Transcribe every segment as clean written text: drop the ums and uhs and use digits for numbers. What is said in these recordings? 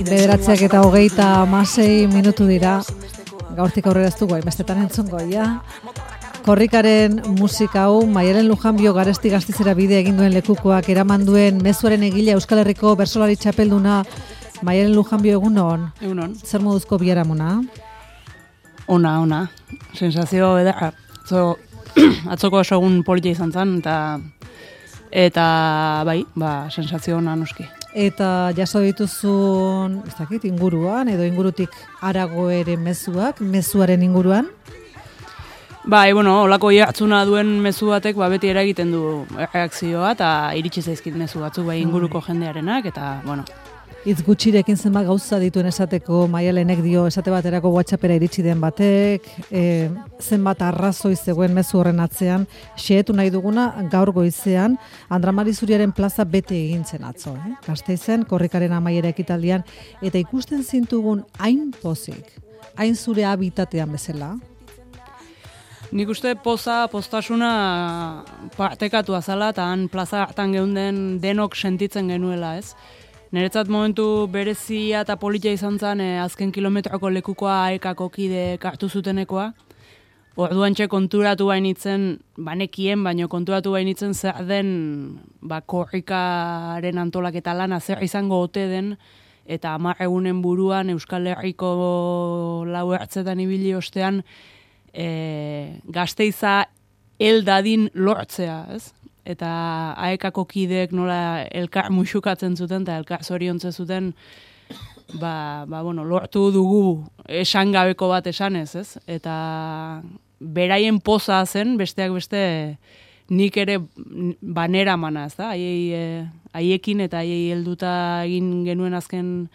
Bederatziak eta 36 minutu dira. Gaurtik aurrera ez dugu hainbestetan entzungo, ja. Korrikaren musika hau, Maialen Lujanbio Garesti Gastizera bide egin duen lekukoak eraman duen mezuaren egile Euskal Herriko bersolari txapelduna. Maialen Lujanbio, egunon? Egunon. Zer moduzko biharamuna? Ona. Sensazio edarra. Atzoko oso egun politia izan zen, eta bai, sensazio ona noski. Eta jaso dituzun, ez dakit, inguruan, edo ingurutik harago ere mezuaren inguruan? Bai, olako jartzuna duen mezu batek beti eragiten du reakzioa, eta iritsi zaizkit mezu batzuk inguruko jendearenak, eta, Hitz gutxirekin zenbat gauza dituen esateko Maialenek dio esate baterako WhatsAppera iritsi den batek, zenbat arrazoi zegoen mezu horren atzean, xehetu nahi duguna gaur goizean Andramari Zuriaren plaza bete egin zen atzo, Gasteizen, korrikaren amaiera ekitaldian, eta ikusten zintugun hain pozik, hain zure habitatean bezala. Nik uste postasuna partekatu azala, eta han plaza hartan geunden denok sentitzen genuela, ez? Niretzat momentu berezia eta politia izan zen azken kilometroko lekukoa aekako kide hartu zutenekoa. Orduan konturatu bainitzen, banekien, baino konturatu bainitzen zer den korrikaren antolaketa lana zer izango ote den, eta 10 egunen buruan Euskal Herriko 4 ertzetan ibili ostean Gasteiza eldadin lortzea, ez? Eta aekako kideek nola elkar muxukatzen zuten eta elkar zoriontze zuten lortu dugu esangabeko bat esanez, ez? Eta beraien poza zen, besteak beste nik ere banera mana, ez da? Haiekin eta haiei helduta egin genuen azken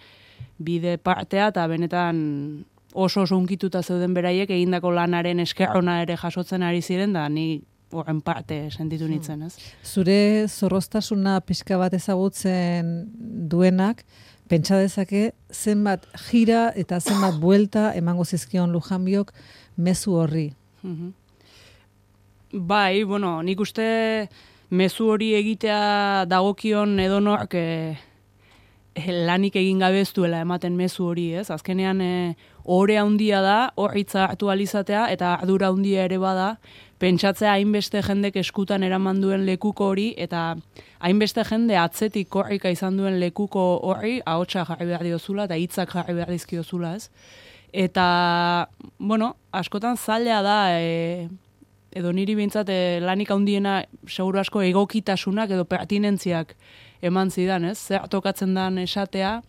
bide partea, eta benetan oso unkituta zeuden beraiek egindako lanaren eskerrona ere jasotzen ari ziren, da ni horren parte sentitu nintzen, ez? Zure zorroztasuna pixka bat ezagutzen duenak, pentsa dezake zenbat jira eta zenbat buelta emango zizkion Lujanbiok mezu horri. Bai, nik uste mezu hori egitea dagokion edonork lanik egin gabe ez duela ematen mezu hori, ez? Azkenean ohore handia da, horritza hartu alizatea, eta ardura handia ere bada, pentsatzea hainbeste jendek eskutan eraman duen lekuko hori, eta hainbeste jende atzetik korrika izan duen lekuko horri, ahotsa jarri behar diozula, eta hitzak jarri behar dizkiozula, ez? Eta, askotan zaila da, edo niri behintzat lanik handiena seguru asko egokitasunak edo pertinentziak eman zidan, ez? Zer tokatzen dan esatea,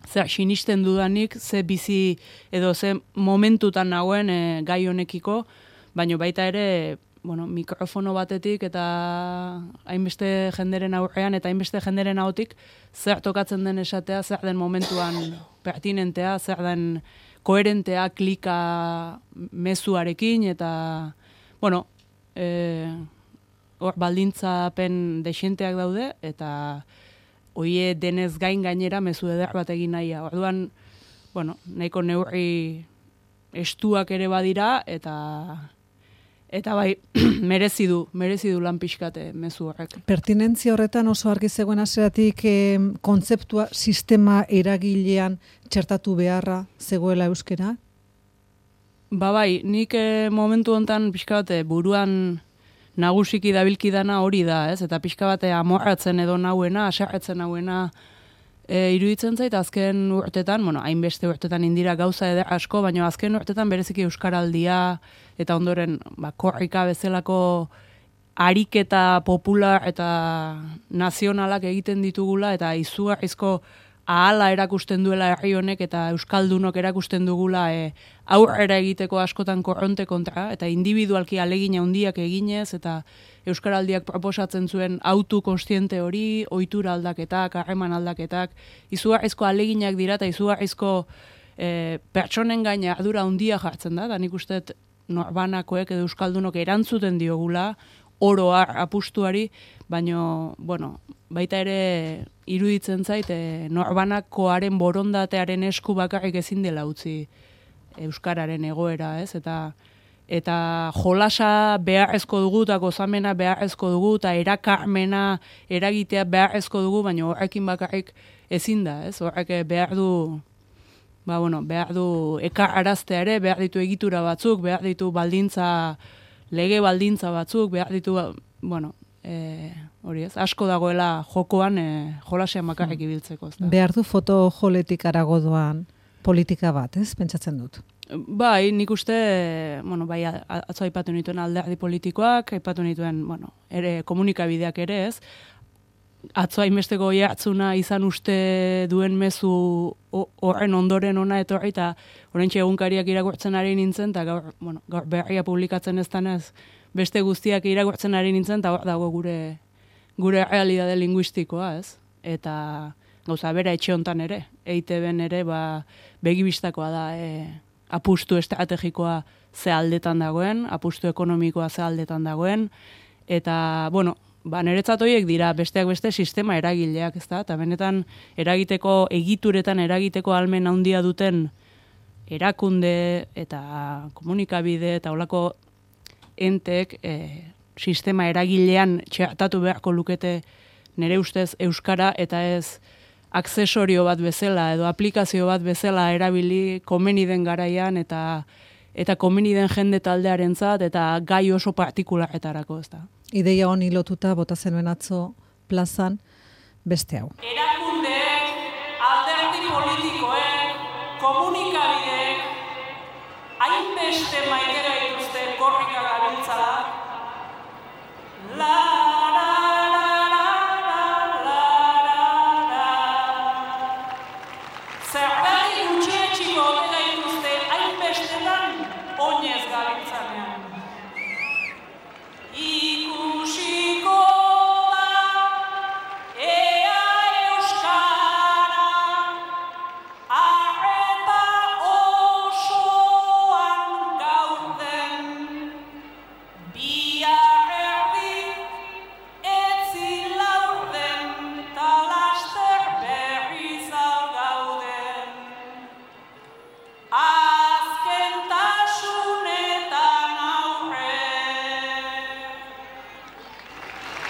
zer sinisten dudanik, ze bizi edo ze momentutan nagoen gai honekiko, baina baita ere, mikrofono batetik eta hainbeste jenderen aurrean eta hainbeste jenderen ahotik zer tokatzen den esatea, zer den momentuan pertinentea, zer den koherentea klika mezuarekin, eta, hor baldintzapen desienteak daude, eta hoie denez gainera mezu eder bat egin nahia. Orduan, nahiko neurri estuak ere badira, eta bai, merezi du lan pixkate mezu horrek. Pertinentzia horretan oso argi zegoen hasieratik kontzeptua sistema eragilean txertatu beharra zegoela euskera? Bai, nik momentu hontan pixka bat buruan nagusiki dabilkidana hori da, ez? Eta pixka bat amorratzen edo nauena, asarretzen nauena iruditzen zait, azken urtetan, hainbeste urtetan indira gauza eder asko, baina azken urtetan bereziki euskaraldia, eta ondoren korrika bezalako ariketa popular eta nazionalak egiten ditugula, eta izugarrizko ahala erakusten duela herri honek eta euskaldunok erakusten dugula aurrera egiteko askotan korronte kontra, eta individualki alegina handiak eginez, eta euskaraldiak proposatzen zuen autu konstiente hori, ohitura aldaketak, harreman aldaketak, izugarrizko aleginak dira, eta izugarrizko pertsonen gaina ardura handia jartzen da, nik uste norbanakoek edo euskaldunok erantzuten diogula, oroar apustuari, baino, baita ere iruditzen zait, norbanakoaren borondatearen esku bakarrik ezin dela utzi euskararen egoera, ez? Eta eta jolasa beharrezko dugu, eta gozamena beharrezko dugu, eta erakarmena eragitea beharrezko dugu, baina horrekin bakarrik ezin da, ez? Horrek behar du ekararaztea ere, behar ditu egitura batzuk, behar ditu lege baldintza batzuk, behar ditu, hori ez, asko dagoela jokoan jolasean bakarrik ibiltzeko. Behar du fotojoletik arago doan politika bat, ez? Pentsatzen dut. Bai, nik uste, atzo aipatu nituen alderdi politikoak, aipatu nituen, ere komunikabideak ere ez, atzo hainbesteko jartzuna izan uste duen mezu horren ondoren ona etorri, eta oraintxe egunkariak irakurtzen ari nintzen, eta gaur berria publikatzen ez danez, beste guztiak irakurtzen ari nintzen, eta hor dago gure realidade linguistikoa, ez? Eta gauza bera etxe hontan ere, EITB-en ere, begibistakoa da, apustu estrategikoa ze aldetan dagoen, apustu ekonomikoa ze aldetan dagoen, eta, niretzat horiek dira besteak beste sistema eragileak, ezta? Eta benetan egituretan eragiteko ahalmen handia duten erakunde eta komunikabide eta holako entek sistema eragilean txertatu beharko lukete nire ustez euskara, eta ez aksesorio bat bezala edo aplikazio bat bezala erabili komeni den garaian eta komeni den jende taldearentzat eta gai oso partikularretarako, ezta? Ideia honi lotuta bota zenuen atzo plazan beste hau. Erakundeek, alderdi politikoek, komunikabideek, hainbeste maitera dituzten korrika gabiltzala, zergatik gutxietxiko dela dituzte hainbestetan oinez gabiltzanean. Ikusiko da, ea euskara, arreta osoan gauden, bihar erdi etzi laurden, talaster berriz gauden.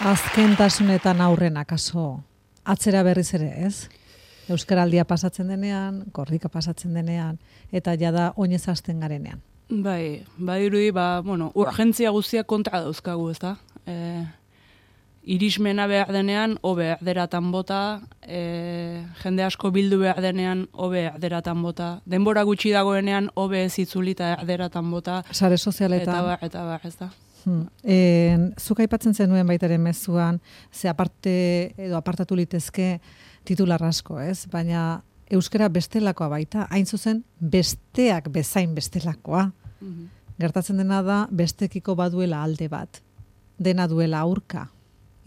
Azkentasunetan aurren akaso atzera berriz ere, ez? Euskaraldia pasatzen denean, korrika pasatzen denean, eta jada oinez hasten garenean. Bai, badirudi, urgentzia guztiak kontra dauzkagu, ezta? Irismena behar denean, hobe erderatan bota, jende asko bildu behar denean, hobe erderatan bota, denbora gutxi dagoenean, hobe ez itzulita erderatan bota. Sare sozialetan. Eta bar, ez da. Zuk aipatzen zenuen baitaren mezuan, ze aparte edo apartatu litezke titular asko, ez? Baina euskara bestelakoa baita, hain zuzen besteak bezain bestelakoa. Gertatzen dena da bestekiko baduela alde bat, dena duela aurka.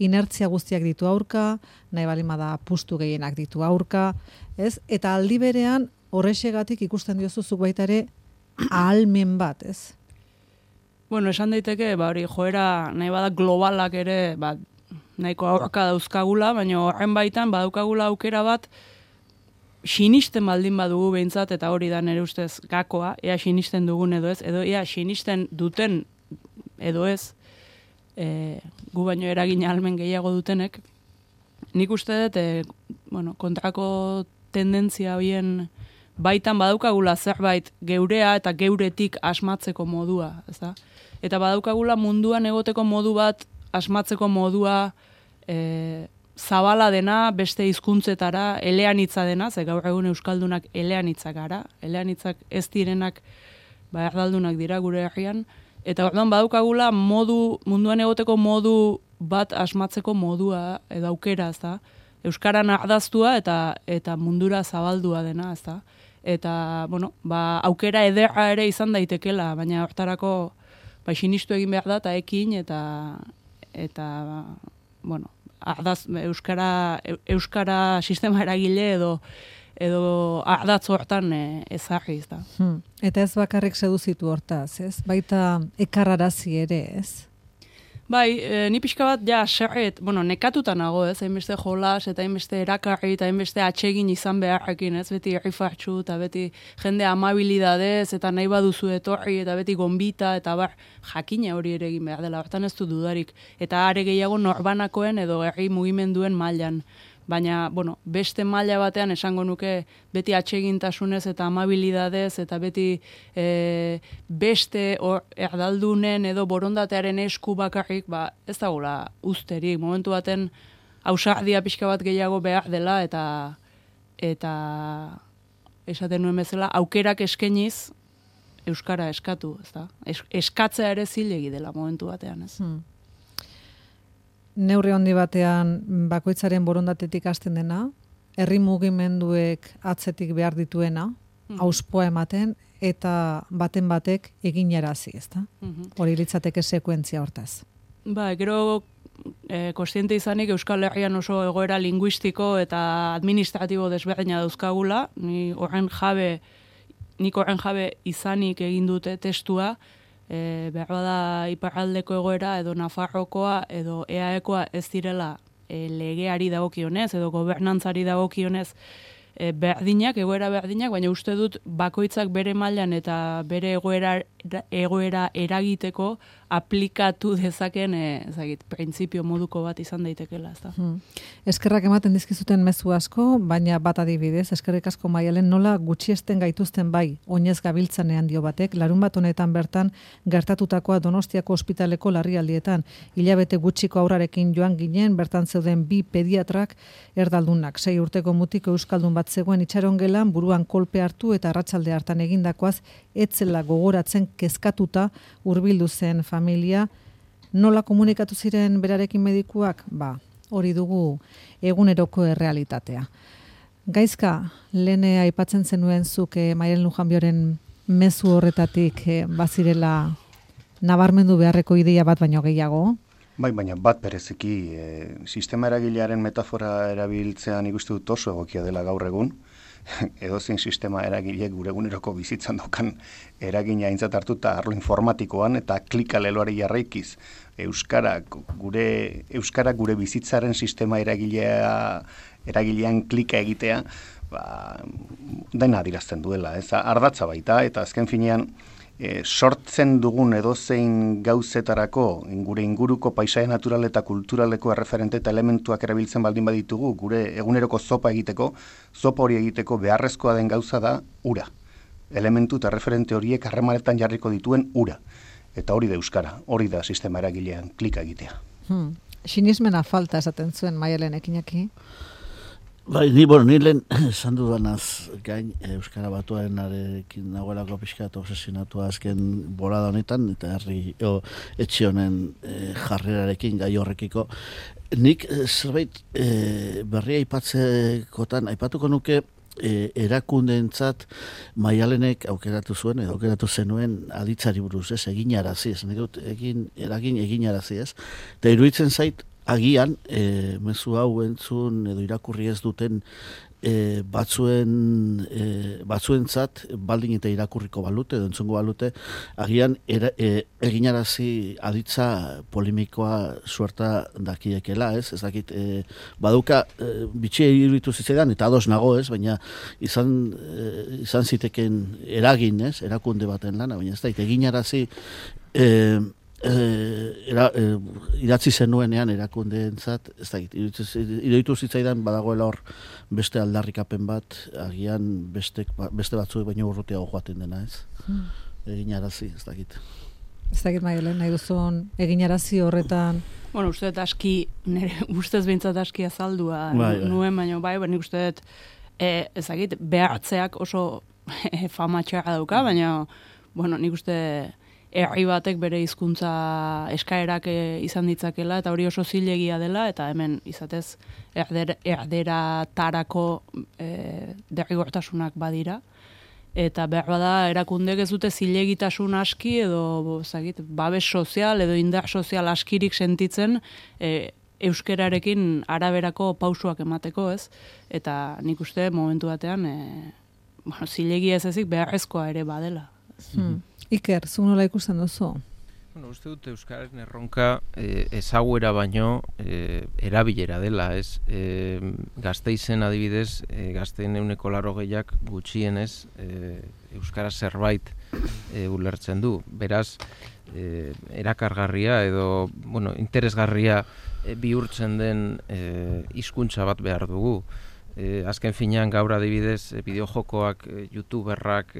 Inertzia guztiak ditu aurka, nahi balimada pustu gehienak ditu aurka, ez? Eta aldi berean horrexegatik ikusten diozu zuk baita ere ahalmen bat, ez? Esan daiteke, hori joera nahi bada globalak ere, nahiko aurka dauzkagula, baina horren baitan badaukagula aukera bat sinisten baldin badugu behintzat, eta hori da nire ustez gakoa, ea sinisten dugun edo ez, edo ea sinisten duten edo ez, gu baino eragin ahalmen gehiago dutenek. Nik uste dut, kontrako tendentzia horien baitan badaukagula zerbait geurea eta geuretik asmatzeko modua, ezta? Eta badaukagula munduan egoteko modu bat, asmatzeko modua zabala dena, beste hizkuntzetara, eleanitza dena, ze gaur egun euskaldunak eleanitzak gara, eleanitzak ez direnak erdaldunak dira gure herrian, eta orduan badaukagula munduan egoteko modu bat asmatzeko modua edo aukera, ezta? Euskaran ardaztua eta mundura zabaldua dena, ezta? Eta, aukera ederra ere izan daitekela, baina hortarako sinistu egin behar da, eta ekin, eta euskara sistema eragile edo ardatz hortan ezarri, ez da. Eta ez bakarrik seduzitu hortaz, ez? Baita ekarrarazi ere, ez? Bai, ni pixka bat, nekatuta nago, ez, hainbeste jolas, eta hainbeste erakarri, eta hainbeste atsegin izan beharrekin, ez, beti errifartxu, eta beti jende amabilidadez, eta nahi baduzu etorri, eta beti gonbita, eta jakina hori ere egin behar dela, hortan ez du dudarik. Eta are gehiago norbanakoen edo herri mugimenduen mailan. Baina, beste maila batean esango nuke beti atsegintasunez eta amabilidadez eta beti beste erdaldunen edo borondatearen esku bakarrik, ez dagoela usterik. Momentu baten ausardia pixka bat gehiago behar dela eta esaten nuen bezala aukerak eskainiz euskara eskatu, ezta? Eskatzea ere zilegi dela momentu batean, ez? Neurri handi batean bakoitzaren borondatetik hasten dena, herri mugimenduek atzetik behar dituena, auspoa ematen, eta baten batek eginarazi, ezta? Hori litzateke sekuentzia hortaz. Gero kontziente izanik Euskal Herrian oso egoera linguistiko eta administratibo desberdina dauzkagula, nik horren jabe izanik egin dute testua, behar da iparraldeko egoera edo Nafarrokoa edo EAEkoa ez direla legeari dagokionez edo gobernantzari dagokionez egoera berdinak, baina uste dut bakoitzak bere mailan eta bere egoera eragiteko aplikatu dezaken printzipio moduko bat izan daitekela, ezta. Eskerrak ematen dizkizuten mezu asko, baina bat adibidez, eskerrik asko Maialen, nola gutxiesten gaituzten bai, oinez gabiltzanean dio batek, larunbat honetan bertan gertatutakoa Donostiako ospitaleko larrialdietan, hilabete gutxiko aurrarekin joan ginen, bertan zeuden 2 pediatrak erdaldunak, 6 urteko mutiko euskaldun bat zegoen itxarongelan, buruan kolpe hartu eta arratsalde hartan egindakoaz, etzela gogoratzen kezkatuta hurbildu zen familia. Nola komunikatu ziren berarekin medikuak? Hori dugu eguneroko errealitatea. Gaizka, lehen aipatzen zenuen zuk Maialen Lujanbioren mezu horretatik bazirela nabarmendu beharreko ideia bat baino gehiago? Bai, baina bat bereziki sistema eragilearen metafora erabiltzean ikustu dut oso egokia dela gaur egun, edozein sistema eragile gure eguneroko bizitzan dokan eragina aintzat hartuta arlo informatikoan eta klikaleloari jarraikiz euskara gure bizitzaren sistema eragilean klika egitea, dena adirazten duela, ez ardatza baita, eta azken finean sortzen dugun edozein gauzetarako gure inguruko paisaia natural eta kulturaleko erreferente eta elementuak erabiltzen baldin baditugu, gure eguneroko zopa hori egiteko beharrezkoa den gauza da ura. Elementu eta referente horiek harremanetan jarriko dituen ura. Eta hori da euskara, hori da sistema eragilean klika egitea. Sinismena falta esaten zuen Maialen Ekinaki? Bai, ni lehen esan dudanaz gain euskara batuarenarekin nagoelako pixka eta obsesionatua azken bolada honetan, eta etxe honen jarrerarekin gai horrekiko. Nik zerbait berria aipatuko nuke erakundeentzat Maialenek aukeratu zuen edo aukeratu zenuen aditzari buruz, ez, eginarazi, ez, eginarazi, ez. Eta iruditzen zait, agian, mezu hau entzun edo irakurri ez duten batzuentzat baldin eta irakurriko balute edo entzungo balute, agian eginarazi aditza polemikoa suerta dakiekela, ez? Ez dakit, baduka bitxia iruditu zitzaidan, eta ados nago, ez? Baina izan ziteken eragin, ez? Erakunde baten lana, baina ez da, eginarazi idatzi zenuenean erakundeentzat, ez da, iruditu zitzaidan badagoela hor beste aldarrikapen bat, agian beste batzuek baino urrutiago joaten dena, ez? Eginarazi, ez dakit. Ez dakit, Maialen, nahi duzun eginarazi horretan? Bueno, uste dut aski, nire ustez behintzat aski azaldua nuen, baina nik uste dut, ez dakit, behartzeak oso famatxarra dauka, baina, bueno, nik uste herri batek bere hizkuntza eskaerak izan ditzakela, eta hori oso zilegia dela, eta hemen izatez erderatarako derrigortasunak badira. Eta behar bada erakundek ez dute zilegitasun aski edo babes sozial edo indar sozial askirik sentitzen euskerarekin araberako pausuak emateko, ez? Eta nik uste momentu batean zilegia ez ezik beharrezkoa ere badela. Iker, zu nola ikusten duzu? Bueno, uste dut Euskararen erronka ezaguera baino erabilera dela, ez? Gasteizen adibidez, gazteen 80% gutxienez Euskara zerbait ulertzen du. Beraz, erakargarria edo, bueno, interesgarria bihurtzen den hizkuntza bat behar dugu. Azken finean gaur adibidez bideojokoak, youtuberrak,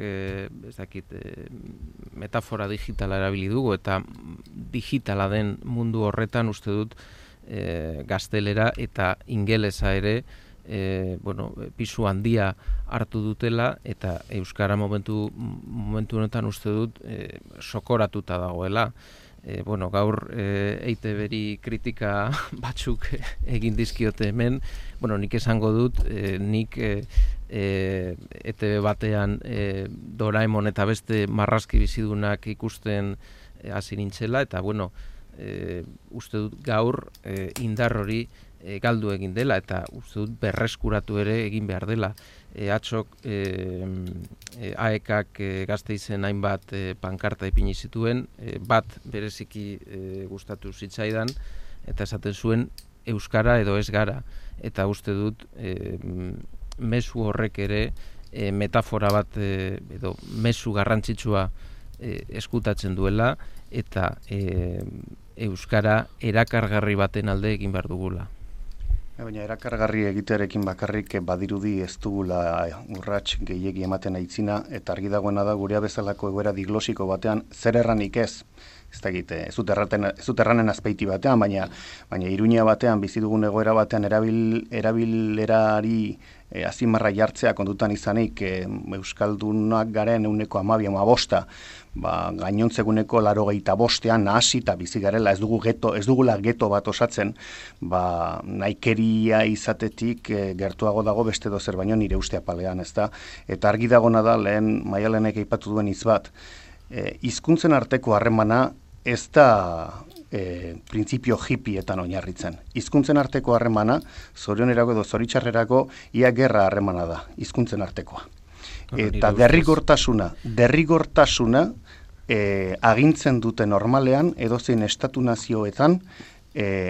metafora digitala erabili dugu eta digitala den mundu horretan uste dut gaztelera eta ingelesa ere pisu handia hartu dutela eta euskara momentu honetan uste dut sokoratuta dagoela. Gaur EITB-ri kritika batzuk egin dizkiote hemen, nik esango dut, nik ETB batean Doraemon eta beste marrazki bizidunak ikusten hasi nintzela, eta uste dut gaur indar hori galdu egin dela, eta uste dut berreskuratu ere egin behar dela. Atxok AEKak Gasteizen hainbat pankarta ipini zituen, bat bereziki gustatu zitzaidan, eta esaten zuen euskara edo ez gara. Eta uste dut mezu horrek ere metafora bat edo mezu garrantzitsua eskutatzen duela, eta euskara erakargarri baten alde egin behar dugula. Baina erakargarri egitearekin bakarrik badirudi ez dugula urrats gehiegi ematen aitzina, eta argi dagoena da gurea bezalako egoera diglosiko batean zer erranik ez. Ez dut erranen azpeiti batean, baina Iruña batean bizi dugun egoera batean erabilerari azimarra jartzea kontutan izanik euskaldunak garen 12-15, gainontzeguneko 85 nahasi eta bizi garela, ez dugula geto bat osatzen, naikeria izatetik gertuago dago beste dozer baino nire uste apalean, ezta? Eta argi dagona da lehen Maialenek aipatu duen hitz bat, hizkuntzen arteko harremana ez da printzipio hippietan oinarritzen. Hizkuntzen arteko harremana, zorionerako edo zoritxarrerako, ia gerra harremana da, hizkuntzen artekoa. Eta derrigortasuna agintzen dute normalean, edozein estatu nazioetan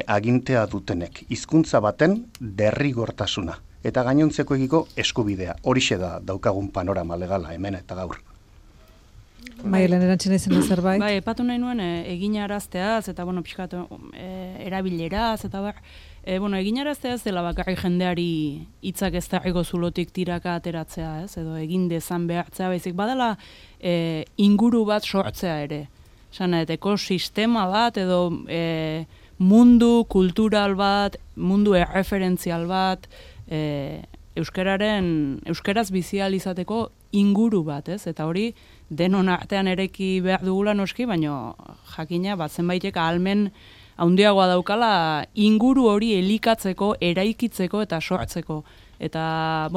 agintea dutenek. Hizkuntza baten derrigortasuna. Eta gainontzekoekiko eskubidea. Horixe da daukagun panorama legala hemen eta gaur. Maialen erantzina izan zerbait? Bai, epatu nahi nuen eginarazteaz, eta pixkat erabileraz, eta eginarazteaz dela bakarrik jendeari hitzak ez darriko zulotik tiraka ateratzea, ez? Edo egin dezan behartzea, baizik badala inguru bat sortzea ere. Ekosistema bat, edo mundu kultural bat, mundu erreferentzial bat, euskaraz bizial izateko inguru bat, ez? Eta hori denon artean ereki behar dugula noski, baina jakina zenbaitek ahalmen handiagoa daukala inguru hori elikatzeko, eraikitzeko eta sortzeko. Eta,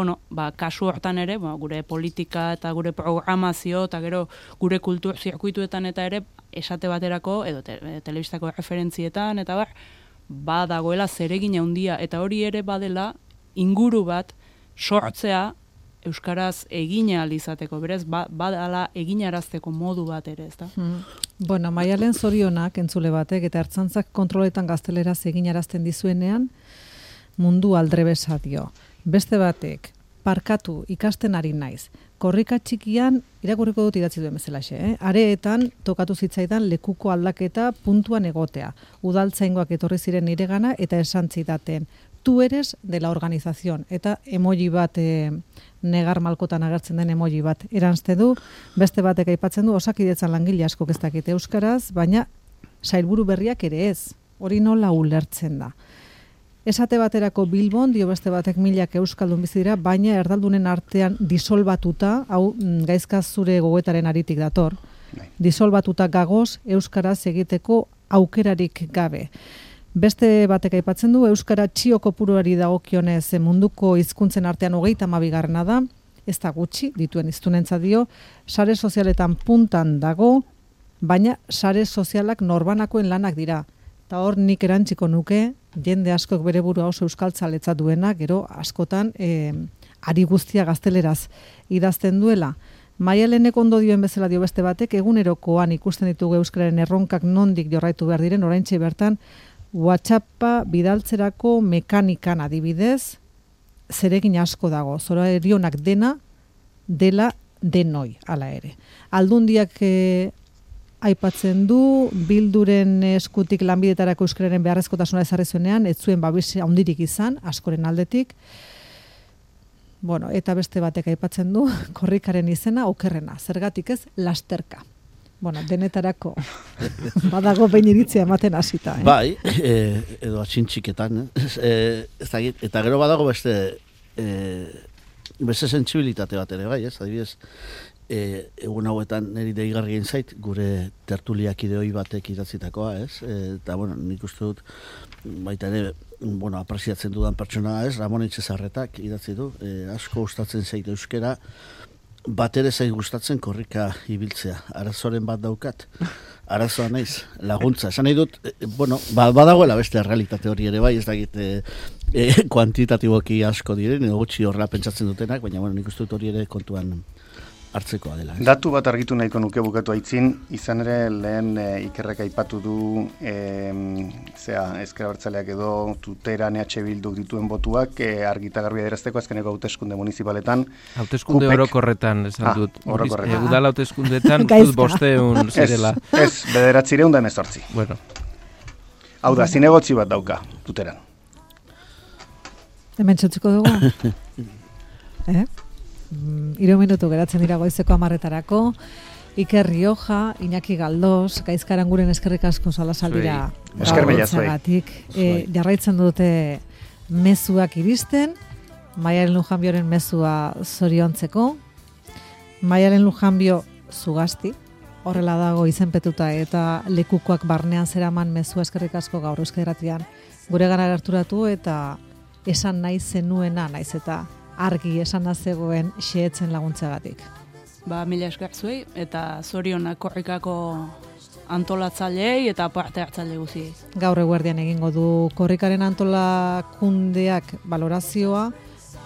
kasu hortan ere, gure politika eta gure programazio eta gero gure kultur zirkuituetan eta ere esate baterako, edo telebistako referentzietan, eta dagoela zeregin handia, eta hori ere badela inguru bat sortzea euskaraz egin ahal izateko, berez, badala eginarazteko modu bat ere, ezta? Maialen zorionak entzule batek eta ertzantzak kontroletan gazteleraz eginarazten dizuenean mundu aldrebesa dio. Beste batek, parkatu ikasten ari naiz. Korrika txikian, irakurriko dut idatzi duen bezalaxe, areetan tokatu zitzaidan lekuko aldaketa puntuan egotea. Udaltzaingoak etorri ziren niregana eta esan zidaten. Tú eres de la organización, eta emoji bat, negar malkotan agertzen den emoji bat eranzte du, beste batek aipatzen du, Osakidetzan langile asko ez dakite euskaraz, baina sailburu berriak ere ez, hori nola ulertzen da. Esate baterako Bilbon, dio beste batek 1000 euskaldun bizi dira, baina erdaldunen artean disolbatuta, hau gaizka zure gogoetaren aritik dator, disolbatuta gagoz euskaraz egiteko aukerarik gabe. Beste batek aipatzen du, euskara txio kopuruari dagokionez munduko hizkuntzen artean 32. da, ez da gutxi, dituen hiztunentzat dio, sare sozialetan puntan dago, baina sare sozialak norbanakoen lanak dira. Eta hor nik erantziko nuke, jende askok bere burua oso euskaltzaletza duena, gero askotan ari guztia gazteleraz idazten duela. Maialenek ondo dioen bezala dio beste batek, egunerokoan ikusten ditugu euskararen erronkak nondik jorraitu behar diren, oraintxe bertan WhatsAppa bidaltzerako mekanikan adibidez, zeregin asko dago, zorionak dela denoi, hala ere. Aldundiak aipatzen du, Bilduren eskutik lanbidetarako euskararen beharrezkotasuna ezarri zuenean, ez zuen babes handirik izan, askoren aldetik. Bueno, eta beste batek aipatzen du, korrikaren izena okerrena, zergatik ez, lasterka. Bueno, denetarako badago behin iritzia ematen hasita. Bai, edo atxintxiketan. Eta gero badago beste sentsibilitate bat ere, bai, ez? Adibidez, egun hauetan niri deigarri egin zait, gure tertuliak ideoi batek idatzitakoa, ez? Eta, bueno, nik uste dut, baita ere, apresiatzen dudan pertsona, ez? Ramon Etxezarretak idatzi du, asko gustatzen zait euskera, bat ere zait gustatzen korrika ibiltzea. Arazoren bat daukat, arazoa naiz, laguntza. Esan nahi dut, badagoela beste realitate hori ere bai, ez dakit kuantitatiboki asko diren, edo gutxi horrela pentsatzen dutenak, baina nik uste dut hori ere kontuan hartzekoa dela. Datu bat argitu nahiko nuke bukatu aitzin, izan ere lehen Ikerrek aipatu du ezker abertzaleak edo Tuteran EH Bilduk dituen botuak argita garbi adierazteko azkeneko hauteskunde municipaletan. Hauteskunde orokorretan esan dut. Orokorretan. Udala hauteskundetan dut 500 zirela. Ez, 918. Bueno. Hau da, zinegotzi bat dauka Tuteran. Hemen txotziko dugu? 3 minutu geratzen dira goizeko 10:00-etarako. Iker Rioja, Iñaki Galdós, Gaizkaranguren eskerrik asko salasaldira. Esker mila zuei. Jarraitzen dute mezuak iristen, Maialen Lujanbioren mezua zoriontzeko. Maialen Lujanbio Zugasti, horrela dago izenpetuta eta lekukoak barnean zeraman mezua eskerrik asko gaur Euskadi Irratian guregana gerturatu eta esan nahi zenuena naiz eta argi esana zegoen xehetzen laguntzagatik. Mila esker zuei eta zorionak korrikako antolatzaileei eta parte hartzaile guztiei. Gaur eguerdian egingo du korrikaren antolakundeak balorazioa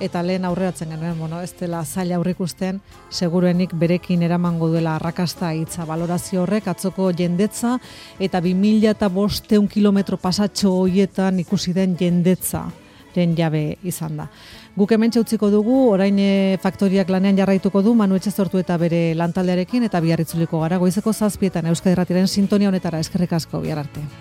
eta lehen aurreratzen genuen, ez dela zaila aurrikusten, seguruenik berekin eramango duela arrakasta hitza balorazio horrek, atzoko jendetza eta 2500 kilometro pasatxo horietan ikusi den jendetzaren jabe izan da. Guk hementxe utziko dugu, orain faktoriak lanean jarraituko du, Manu Etxezortu eta bere lantaldearekin, eta bihar itzuliko gara, goizeko 7:00 Euskadi Irratiaren sintonia honetara, eskerrik asko, bihar arte.